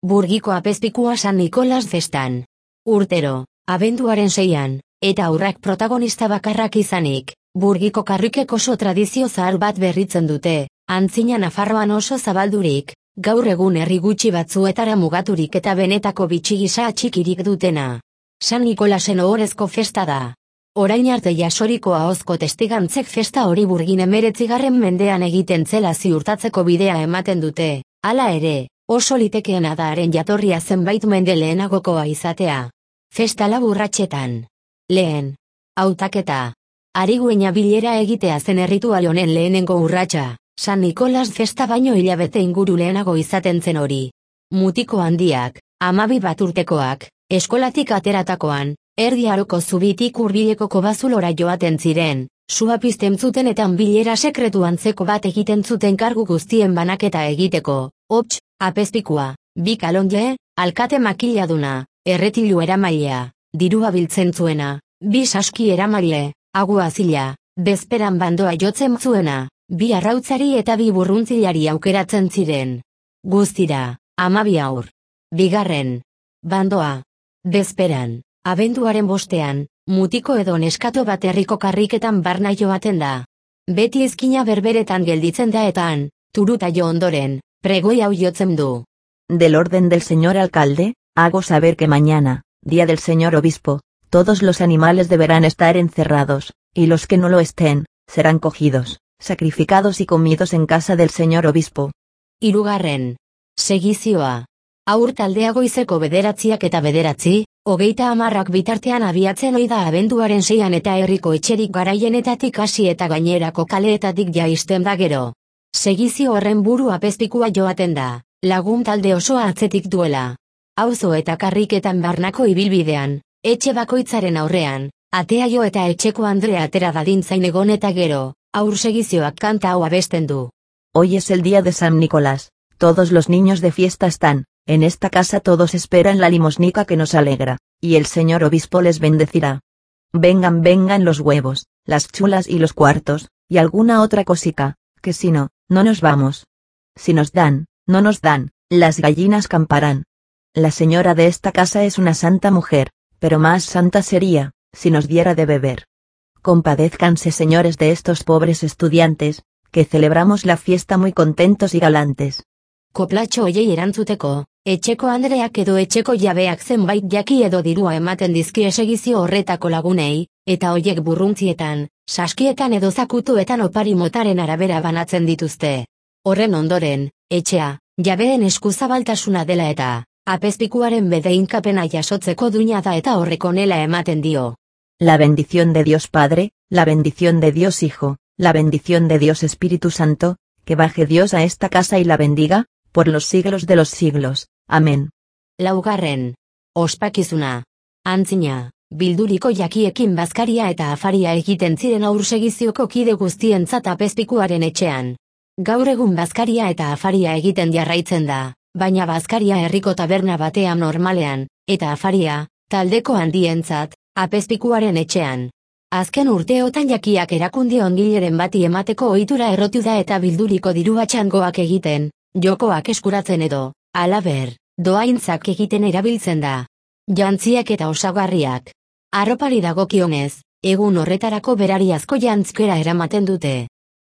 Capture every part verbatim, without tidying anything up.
Burgiko apezpikua San Nikolas festan. Urtero, abenduaren seian, eta aurrak protagonista bakarrak izanik, Burgiko karrikek oso tradizio zahar bat berritzen dute, antzina Nafarroan oso zabaldurik, gaur egun herri gutxi batzuetara mugaturik eta benetako bitxigisa atxikirik dutena. San Nikolasen ohorezko festa da. Orain arte jasoriko ahozko testigantzek festa hori Burgin hemeretzigarren mendean egiten zela ziurtatzeko bidea ematen dute, hala ere, oso litekeena da haren jatorria zenbait mende lehenagokoa izatea. Festa lau urratsetan. Lehen. Hautaketa. Ariguina bilera egitea zen erritual honen lehenengo urratsa, San Nikolas festa baino hilabete inguru lehenago izaten zen hori. Mutiko handiak, hamabi bat urtekoak, eskolatik ateratakoan, erdi aroko zubitik hurbileko kobazulora joaten ziren, sua pizten zuten eta bilera sekretu antzeko bat egiten zuten kargu guztien banaketa egiteko, hots, apezpikua, bi kalonje, alkate makiladuna, erretilu eramailea, dirua biltzen zuena, bi saski eramaile, agua zila, bezperan bandoa jotzen zuena, bi arrautzari eta bi burruntzilari aukeratzen ziren. Guztira, hamabi haur. Bigarren. Bandoa. Bezperan. Abenduaren bostean, mutiko edo neskato bat herriko karriketan barna joaten da. Beti ezkina berberetan gelditzen da eta han, turuta jo ondoren, pregoi hau jotzen du. Del orden del señor alcalde, hago saber que mañana, día del señor obispo, todos los animales deberán estar encerrados, y los que no lo estén, serán cogidos, sacrificados y comidos en casa del señor obispo. Hirugarren. Segizioa. Aur taldea goizeko bederatziak eta bederatzi, hogeita hamarrak bitartean abiatzen ohi da abenduaren seian eta herriko etxerik garaienetatik hasi eta gainerako kaleetatik jaisten da gero. Segizio horren buru apezpikua joaten da, lagun talde osoa atzetik duela. Auzo eta karriketan barnako ibilbidean, etxe bakoitzaren aurrean, atea jo eta etxeko Andrea atera dadin zain egon eta gero, aur segizioak kanta hau abesten du. Hoy es el día de San Nicolás, todos los niños de fiesta están. En esta casa todos esperan la limosnica que nos alegra, y el señor obispo les bendecirá. Vengan, vengan los huevos, las chulas y los cuartos, y alguna otra cosica, que si no, no nos vamos. Si nos dan, no nos dan, las gallinas camparán. La señora de esta casa es una santa mujer, pero más santa sería, si nos diera de beber. Compadézcanse señores de estos pobres estudiantes, que celebramos la fiesta muy contentos y galantes. Koplatxo hoiei erantzuteko, etxeko Andreak edo etxeko jabeak zenbait jaki edo dirua ematen dizkie segizio horretako lagunei, eta hoiek burruntzietan, saskietan edo zakutuetan opari motaren arabera banatzen dituzte. Horren ondoren, etxea, jabeen eskuzabaltasuna dela eta, apezpikuaren bedeinkapena jasotzeko duina da eta horrek honela ematen dio. La bendición de Dios Padre, la bendición de Dios Hijo, la bendición de Dios Espíritu Santo, que baje Dios a esta casa y la bendiga, por los siglos de los siglos. Amén. Laugarren. Ospakizuna. Antzina, bilduriko jakiekin bazkaria eta afaria egiten ziren aur segizioko kide guztientzat apezpikuaren etxean. Gaur egun bazkaria eta afaria egiten jarraitzen da, baina bazkaria herriko taberna batean normalean, eta afaria, taldeko handientzat, apezpikuaren etxean. Azken urteotan jakiak erakunde ongileren bati emateko ohitura errotu da eta bilduriko diru batxangoak egiten, jokoak eskuratzen edo, halaber, doaintzak egiten erabiltzen da. Jantziak eta osagarriak. Arropari dagokionez, egun horretarako berariazko jantzkera eramaten dute.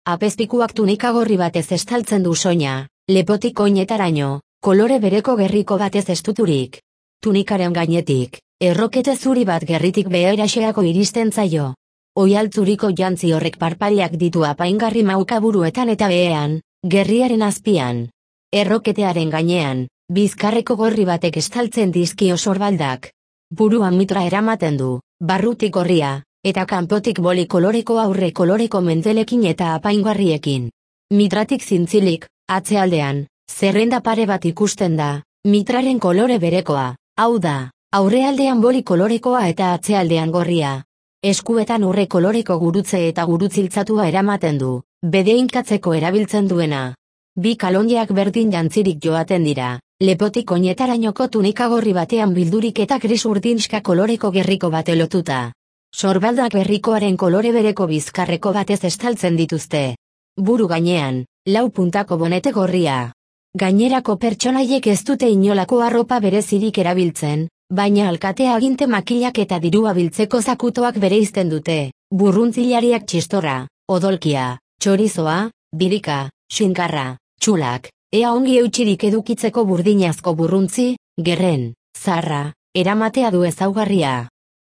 Apezpikuak tunika gorri batez estaltzen du soina, lepotik oinetaraino, kolore bereko gerriko batez estuturik. Tunikaren gainetik, errokete zuri bat gerritik beheraxeako iristen zaio. Oialtzuriko jantzi horrek parpailak ditu apaingarri maukaburuetan eta behean, gerriaren azpian. Erroketearen gainean, bizkarreko gorri batek estaltzen dizkio sorbaldak. Buruan mitra eramaten du, barrutik gorria, eta kanpotik boli koloreko aurre koloreko mendelekin eta apaingarriekin. Mitratik zintzilik, atzealdean, zerrenda pare bat ikusten da, mitraren kolore berekoa, hau da, aurrealdean boli kolorekoa eta atzealdean gorria. Eskuetan urre koloreko gurutze eta gurutziltzatua eramaten du, bedeinkatzeko erabiltzen duena. Bi kalonjeak berdin jantzirik joaten dira, lepotik oinetarainoko tunika gorri batean bildurik eta gris urdinska koloreko gerriko bate lotuta. Sorbaldak berrikoaren kolore bereko bizkarreko batez estaltzen dituzte. Buru gainean, lau puntako bonete gorria. Gainerako pertsonaiek ez dute inolako arropa berezirik erabiltzen, baina alkatea aginte makilak eta dirua biltzeko zakutoak bereizten dute, burruntzilariak txistorra, odolkia, txorizoa, birika, xinkarra, txulak, ea ongi eutxirik edukitzeko burdinazko burruntzi, gerren, zarra, eramatea du ezaugarria.